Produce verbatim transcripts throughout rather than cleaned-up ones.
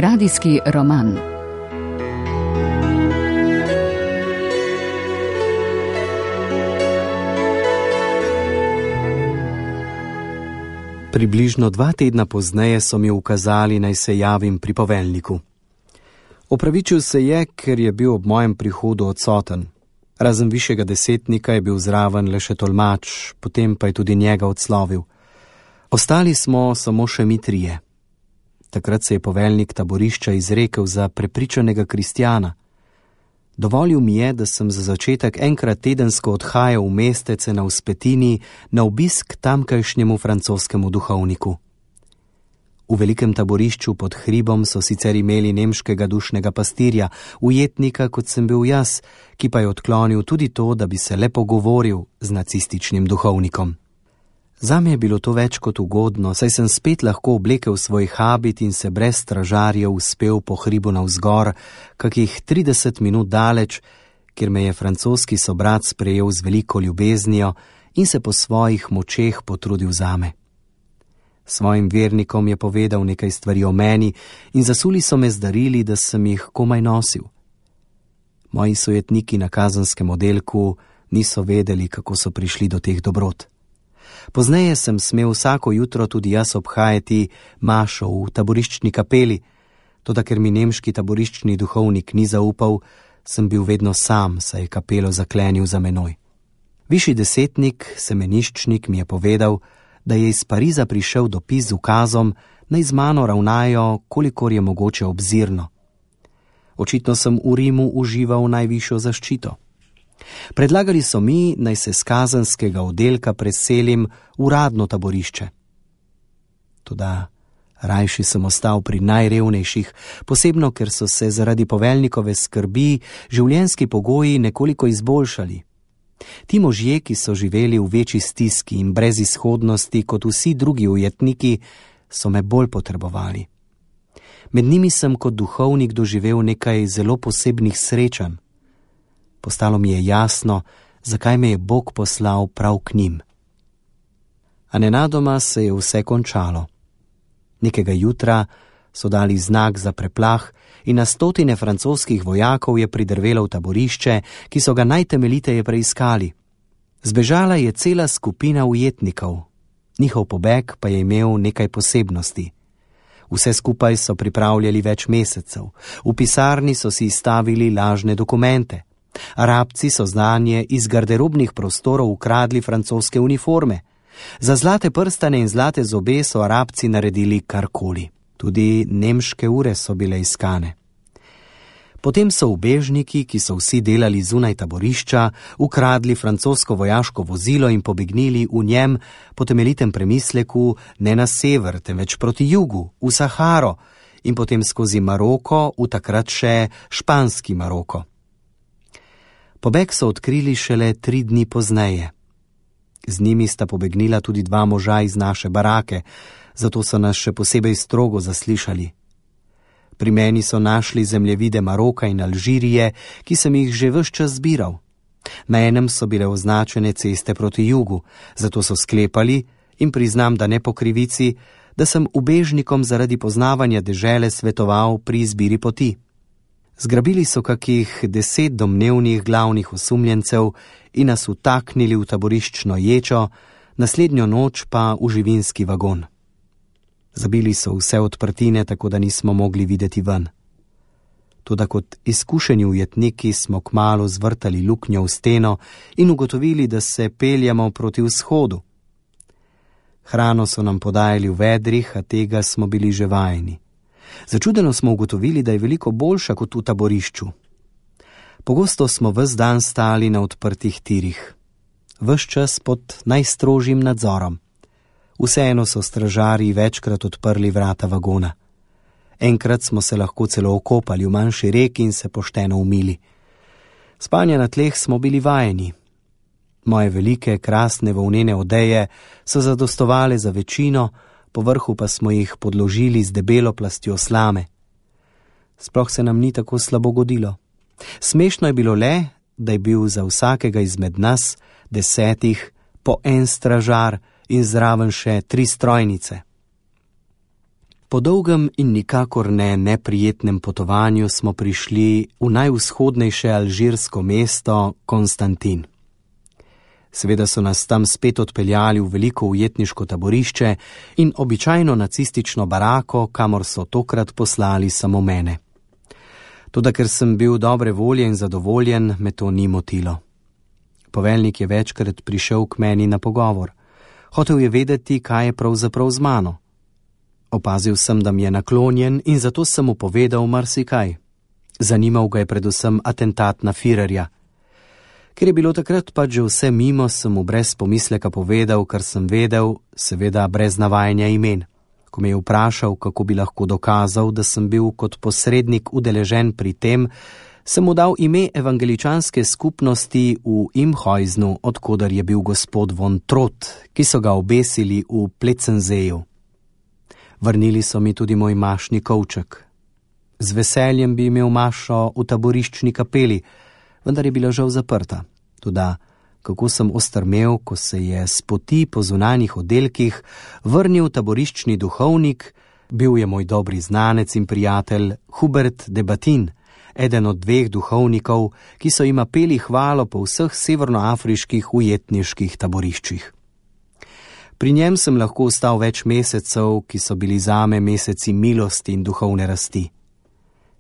Radijski roman. Približno dva tedna pozneje so mi ukazali, naj se javim pri poveljniku. Opravičil se je, ker je bil ob mojem prihodu odsoten. Razen višjega desetnika je bil zraven le še tolmač, potem pa je tudi njega odslovil. Ostali smo samo še mi trije. Takrat se je poveljnik taborišča izrekel za prepričanega kristjana. Dovolil mi je, da sem za začetek enkrat tedensko odhajal v mestece na Vzpetini na obisk tamkajšnjemu francoskemu duhovniku. V velikem taborišču pod hribom so sicer imeli nemškega dušnega pastirja, ujetnika, kot sem bil jaz, ki pa je odklonil tudi to, da bi se le pogovoril z nacističnim duhovnikom. Zame je bilo to več kot ugodno, saj sem spet lahko oblekel svoj habit in se brez stražarjev uspel po hribu navzgor, kakih trideset minut daleč, kjer me je francoski sobrat sprejel z veliko ljubeznijo in se po svojih močeh potrudil zame. Svojim vernikom je povedal nekaj stvari o meni in zasuli so me z darili, da sem jih komaj nosil. Moji sojetniki na kazenskem oddelku niso vedeli, kako so prišli do teh dobrot. Pozneje sem smel vsako jutro tudi jaz obhajati mašo v taboriščni kapeli, toda ker mi nemški taboriščni duhovnik ni zaupal, sem bil vedno sam, saj je kapelo zaklenil za menoj. Višji desetnik, semeniščnik, mi je povedal, da je iz Pariza prišel dopis z ukazom, naj z mano ravnajo, kolikor je mogoče obzirno. Očitno sem v Rimu užival najvišjo zaščito. Predlagali so mi, naj se z kazenskega oddelka preselim v uradno taborišče. Toda rajši sem ostal pri najrevnejših, posebno ker so se zaradi poveljnikove skrbi življenjski pogoji nekoliko izboljšali. Ti možje, ki so živeli v večji stiski in brez izhodnosti kot vsi drugi ujetniki, so me bolj potrebovali. Med njimi sem kot duhovnik doživel nekaj zelo posebnih srečanj. Postalo mi je jasno, zakaj me je Bog poslal prav k njim. A nenadoma se je vse končalo. Nekega jutra so dali znak za preplah in na stotine francoskih vojakov je pridrvelo v taborišče, ki so ga najtemeljiteje preiskali. Zbežala je cela skupina ujetnikov. Njihov pobeg pa je imel nekaj posebnosti. Vse skupaj so pripravljali več mesecev. V pisarni so si izstavili lažne dokumente. Arabci so znanje iz garderobnih prostorov ukradli francoske uniforme. Za zlate prstane in zlate zobe so Arabci naredili karkoli. Tudi nemške ure so bile iskane. Potem so ubežniki, ki so vsi delali zunaj taborišča, ukradli francosko vojaško vozilo in pobegnili v njem po temeljitem premisleku ne na sever, temveč proti jugu, v Saharo in potem skozi Maroko, v takrat še španski Maroko. Pobeg so odkrili šele tri dni pozneje. Z njimi sta pobegnila tudi dva moža iz naše barake, zato so nas še posebej strogo zaslišali. Pri meni so našli zemljevide Maroka in Alžirije, ki sem jih že ves čas zbiral. Na enem so bile označene ceste proti jugu, zato so sklepali, in priznam, da ne po krivici, da sem ubežnikom zaradi poznavanja dežele svetoval pri izbiri poti. Zgrabili so kakih deset domnevnih glavnih osumljencev in nas utaknili v taboriščno ječo, naslednjo noč pa v živinski vagon. Zabili so vse odprtine, tako da nismo mogli videti ven. Toda kot izkušeni ujetniki smo kmalu zvrtali luknjo v steno in ugotovili, da se peljamo proti vzhodu. Hrano so nam podajali v vedrih, a tega smo bili že vajeni. Začudeno smo ugotovili, da je veliko boljša kot v taborišču. Pogosto smo ves dan stali na odprtih tirih. Ves čas pod najstrožjim nadzorom. Vseeno so stražarji večkrat odprli vrata vagona. Enkrat smo se lahko celo okopali v manjši reki in se pošteno umili. Spanja na tleh smo bili vajeni. Moje velike, krasne volnene odeje so zadostovale za večino, po vrhu pa smo jih podložili z debelo plastjo slame. Sploh se nam ni tako slabo godilo. Smešno je bilo le, da je bil za vsakega izmed nas, desetih, po en stražar in zraven še tri strojnice. Po dolgem in nikakor ne neprijetnem potovanju smo prišli v najvzhodnejše alžirsko mesto Konstantin. Seveda so nas tam spet odpeljali v veliko ujetniško taborišče in običajno nacistično barako, kamor so tokrat poslali samo mene. Toda ker sem bil dobre volje in zadovoljen, me to ni motilo. Poveljnik je večkrat prišel k meni na pogovor. Hotel je vedeti, kaj je pravzaprav z mano. Opazil sem, da mi je naklonjen in zato sem mu povedal marsikaj. Zanimal ga je predvsem atentat na Führerja. Ker je bilo takrat pač že vse mimo, sem mu brez pomisleka povedal, kar sem vedel, seveda brez navajanja imen. Ko me je vprašal, kako bi lahko dokazal, da sem bil kot posrednik udeležen pri tem, sem mu dal ime evangeličanske skupnosti v Imhuiznu, odkoder je bil gospod von Trott, ki so ga obesili v Pletzenseeju. Vrnili so mi tudi moj mašni kovček. Z veseljem bi imel mašo v taboriščni kapeli, vendar je bila žal zaprta. Toda, kako sem ostrmel, ko se je s poti po zunanjih oddelkih vrnil taboriščni duhovnik, bil je moj dobri znanec in prijatelj Hubert de Batin, eden od dveh duhovnikov, ki so jima peli hvalo po vseh severnoafriških ujetniških taboriščih. Pri njem sem lahko ostal več mesecev, ki so bili zame meseci milosti in duhovne rasti.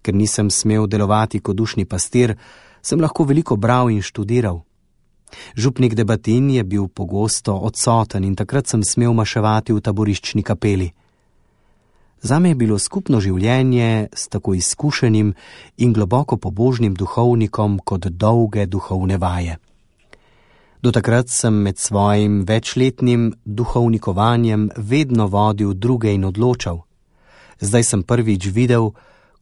Ker nisem smel delovati kot dušni pastir, sem lahko veliko bral in študiral. Župnik de Batin je bil pogosto odsoten in takrat sem smel maševati v taboriščni kapeli. Zame je bilo skupno življenje s tako izkušenim in globoko pobožnim duhovnikom kot dolge duhovne vaje. Do takrat sem med svojim večletnim duhovnikovanjem vedno vodil druge in odločal. Zdaj sem prvič videl,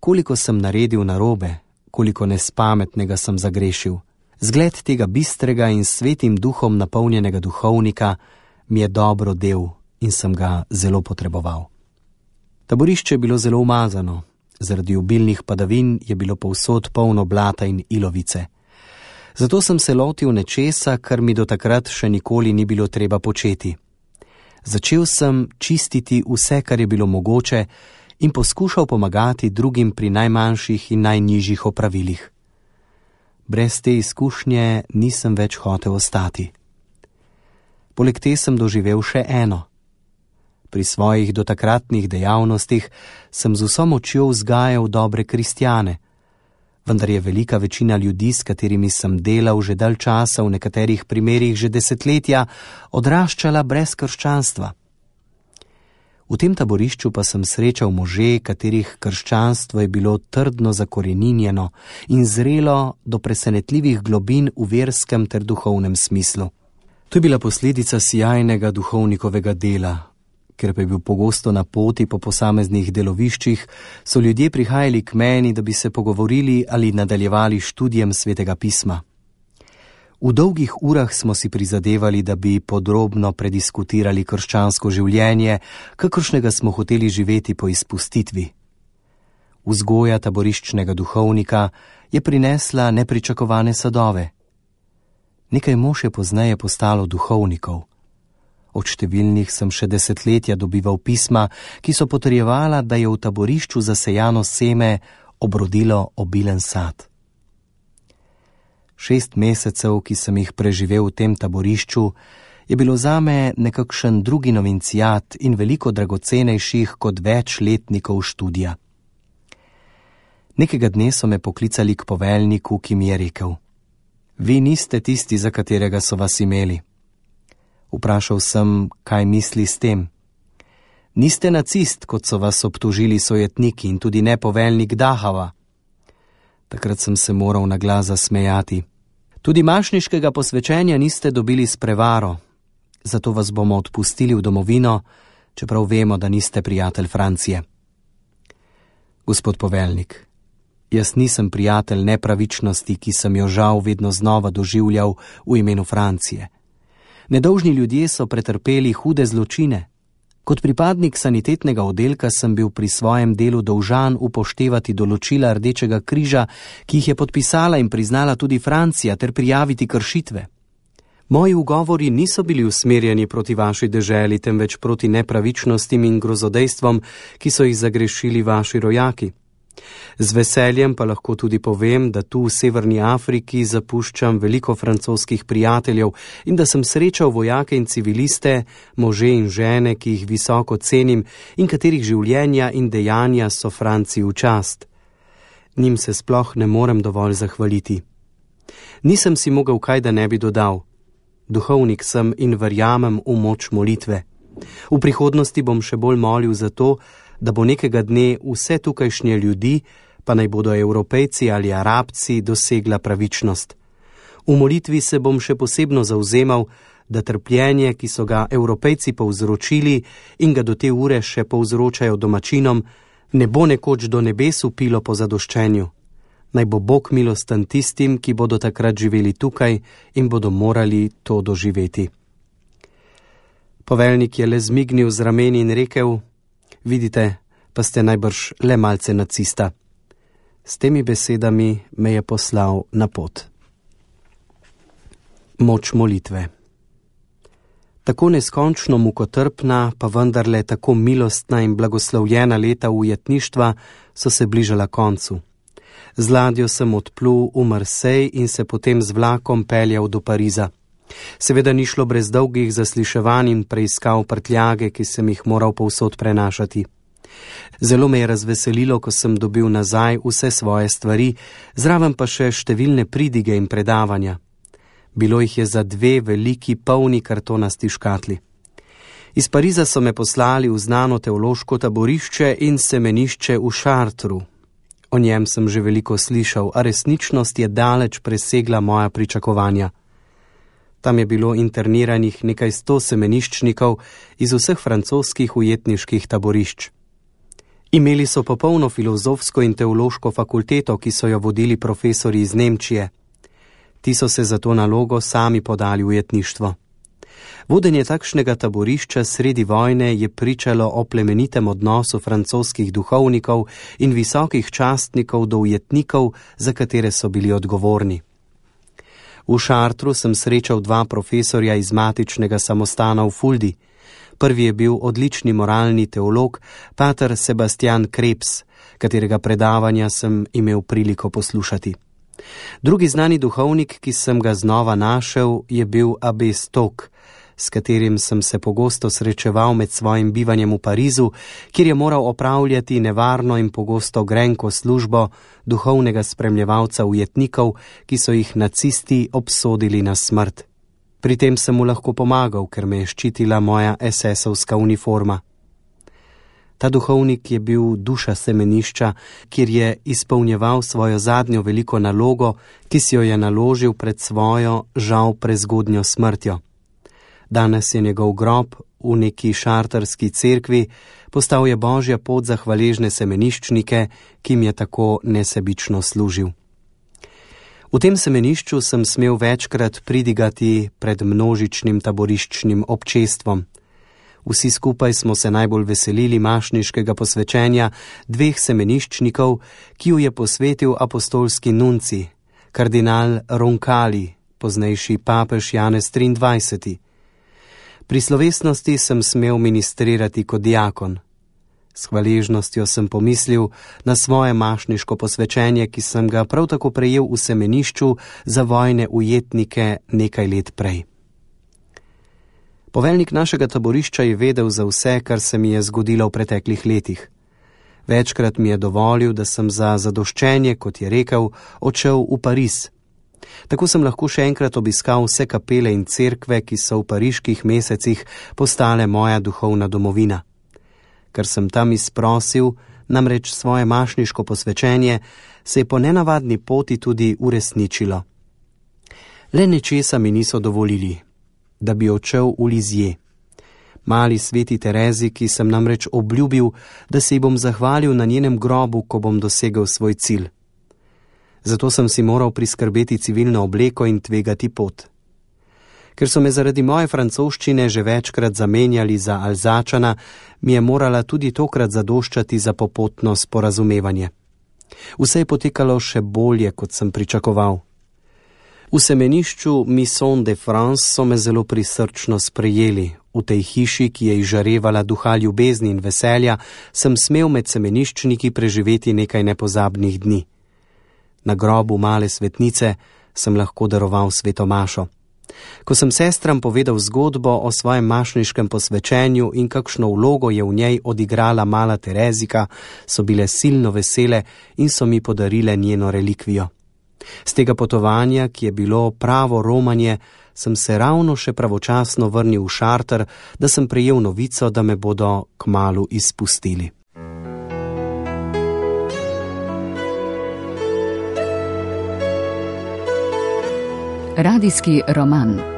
koliko sem naredil narobe, koliko nespametnega sem zagrešil. Zgled tega bistrega in svetim duhom napolnjenega duhovnika mi je dobro del in sem ga zelo potreboval. Taborišče je bilo zelo umazano, zaradi obilnih padavin je bilo povsod polno blata in ilovice. Zato sem se lotil nečesa, kar mi do takrat še nikoli ni bilo treba početi. Začel sem čistiti vse, kar je bilo mogoče in poskušal pomagati drugim pri najmanjših in najnižjih opravilih. Brez te izkušnje nisem več hotel ostati. Poleg te sem doživel še eno. Pri svojih dotakratnih dejavnostih sem z vso močjo vzgajal dobre kristjane, vendar je velika večina ljudi, s katerimi sem delal že dalj časa, v nekaterih primerih že desetletja, odraščala brez krščanstva. V tem taborišču pa sem srečal može, katerih krščanstvo je bilo trdno zakoreninjeno in zrelo do presenetljivih globin v verskem ter duhovnem smislu. To je bila posledica sijajnega duhovnikovega dela. Ker pa je bil pogosto na poti po posameznih deloviščih, so ljudje prihajali k meni, da bi se pogovorili ali nadaljevali študijem svetega pisma. V dolgih urah smo si prizadevali, da bi podrobno prediskutirali krščansko življenje, kakršnega smo hoteli živeti po izpustitvi. Vzgoja taboriščnega duhovnika je prinesla nepričakovane sadove. Nekaj mož je pozneje postalo duhovnikov. Od številnih sem še desetletja dobival pisma, ki so potrjevala, da je v taborišču zasejano seme obrodilo obilen sad. Šest mesecev, ki sem jih preživel v tem taborišču, je bilo zame nekakšen drugi novincijat in veliko dragocenejših kot več letnikov študija. Nekega dne so me poklicali k poveljniku, ki mi je rekel: Vi niste tisti, za katerega so vas imeli. Vprašal sem, kaj misli s tem. Niste nacist, kot so vas obtožili sojetniki in tudi ne poveljnik Dachauer. Takrat sem se moral na glas zasmejati. Tudi mašniškega posvečenja niste dobili s prevaro, zato vas bomo odpustili v domovino, čeprav vemo, da niste prijatelj Francije. Gospod poveljnik, jaz nisem prijatelj nepravičnosti, ki sem jo žal vedno znova doživljal v imenu Francije. Nedolžni ljudje so pretrpeli hude zločine. Kot pripadnik sanitetnega oddelka sem bil pri svojem delu dolžan upoštevati določila Rdečega križa, ki jih je podpisala in priznala tudi Francija, ter prijaviti kršitve. Moji ugovori niso bili usmerjeni proti vaši deželi, temveč proti nepravičnostim in grozodejstvom, ki so jih zagrešili vaši rojaki. Z veseljem pa lahko tudi povem, da tu v Severni Afriki zapuščam veliko francoskih prijateljev in da sem srečal vojake in civiliste, može in žene, ki jih visoko cenim in katerih življenja in dejanja so Franciji v čast. Njim se sploh ne morem dovolj zahvaliti. Nisem si mogel kaj, da ne bi dodal. Duhovnik sem in verjamem v moč molitve. V prihodnosti bom še bolj molil za to, da bo nekega dne vse tukajšnje ljudi, pa naj bodo Evropejci ali Arabci, dosegla pravičnost. V molitvi se bom še posebno zavzemal, da trpljenje, ki so ga Evropejci povzročili in ga do te ure še povzročajo domačinom, ne bo nekoč do nebes upilo po zadoščenju. Naj bo Bog milosten tistim, ki bodo takrat živeli tukaj in bodo morali to doživeti. Poveljnik je le zmignil z rameni in rekel: vidite, pa ste najbrž le malce nacista. S temi besedami me je poslal na pot. Moč molitve. Tako neskončno mukotrpna, pa vendarle tako milostna in blagoslovljena leta ujetništva so se bližala koncu. Z ladjo sem odplul v Marsej in se potem z vlakom peljal do Pariza. Seveda ni šlo brez dolgih zasliševanj in preiskav prtljage, ki sem jih moral povsod prenašati. Zelo me je razveselilo, ko sem dobil nazaj vse svoje stvari, zraven pa še številne pridige in predavanja. Bilo jih je za dve veliki polni kartonasti škatli. Iz Pariza so me poslali v znano teološko taborišče in semenišče v Chartru. O njem sem že veliko slišal, a resničnost je daleč presegla moja pričakovanja. Tam je bilo interniranih nekaj sto semeniščnikov iz vseh francoskih ujetniških taborišč. Imeli so popolno filozofsko in teološko fakulteto, ki so jo vodili profesori iz Nemčije. Ti so se za to nalogo sami podali v ujetništvo. Vodenje takšnega taborišča sredi vojne je pričalo o plemenitem odnosu francoskih duhovnikov in visokih častnikov do ujetnikov, za katere so bili odgovorni. V Chartru sem srečal dva profesorja iz matičnega samostana v Fuldi. Prvi je bil odlični moralni teolog, pater Sebastian Krebs, katerega predavanja sem imel priliko poslušati. Drugi znani duhovnik, ki sem ga znova našel, je bil abe Stok, s katerim sem se pogosto srečeval med svojim bivanjem v Parizu, kjer je moral opravljati nevarno in pogosto grenko službo duhovnega spremljevalca ujetnikov, ki so jih nacisti obsodili na smrt. Pri tem sem mu lahko pomagal, ker me je ščitila moja esesovska uniforma. Ta duhovnik je bil duša semenišča, kjer je izpolnjeval svojo zadnjo veliko nalogo, ki si jo je naložil pred svojo, žal prezgodnjo smrtjo. Danes je njegov grob v neki šarterski cerkvi, postal je božja pot za hvaležne semeniščnike, ki jim je tako nesebično služil. V tem semenišču sem smel večkrat pridigati pred množičnim taboriščnim občestvom. Vsi skupaj smo se najbolj veselili mašniškega posvečenja dveh semeniščnikov, ki ju je posvetil apostolski nunci, kardinal Roncalli, poznejši papež Janez triindvajseti. Pri slovesnosti sem smel ministrirati kot diakon. S hvaležnostjo sem pomislil na svoje mašniško posvečenje, ki sem ga prav tako prejel v semenišču za vojne ujetnike nekaj let prej. Poveljnik našega taborišča je vedel za vse, kar se mi je zgodilo v preteklih letih. Večkrat mi je dovolil, da sem za zadoščenje, kot je rekel, odšel v Pariz. Tako sem lahko še enkrat obiskal vse kapele in cerkve, ki so v pariških mesecih postale moja duhovna domovina. Ker sem tam izprosil, namreč svoje mašniško posvečenje, se je po nenavadni poti tudi uresničilo. Le nečesa mi niso dovolili, da bi odšel v Lizije. Mali sveti Terezi, ki sem namreč obljubil, da se ji bom zahvalil na njenem grobu, ko bom dosegel svoj cilj. Zato sem si moral priskrbeti civilno obleko in tvegati pot. Ker so me zaradi moje francoščine že večkrat zamenjali za Alzačana, mi je morala tudi tokrat zadoščati za popotno sporazumevanje. Vse je potekalo še bolje, kot sem pričakoval. V semenišču Maison de France so me zelo prisrčno sprejeli. V tej hiši, ki je izžarevala duha ljubezni in veselja, sem smel med semeniščniki preživeti nekaj nepozabnih dni. Na grobu male svetnice sem lahko daroval sveto mašo. Ko sem sestram povedal zgodbo o svojem mašniškem posvečenju in kakšno vlogo je v njej odigrala mala Terezika, so bile silno vesele in so mi podarile njeno relikvijo. Z tega potovanja, ki je bilo pravo romanje, sem se ravno še pravočasno vrnil v Šarter, da sem prejel novico, da me bodo kmalu izpustili. Radijski roman.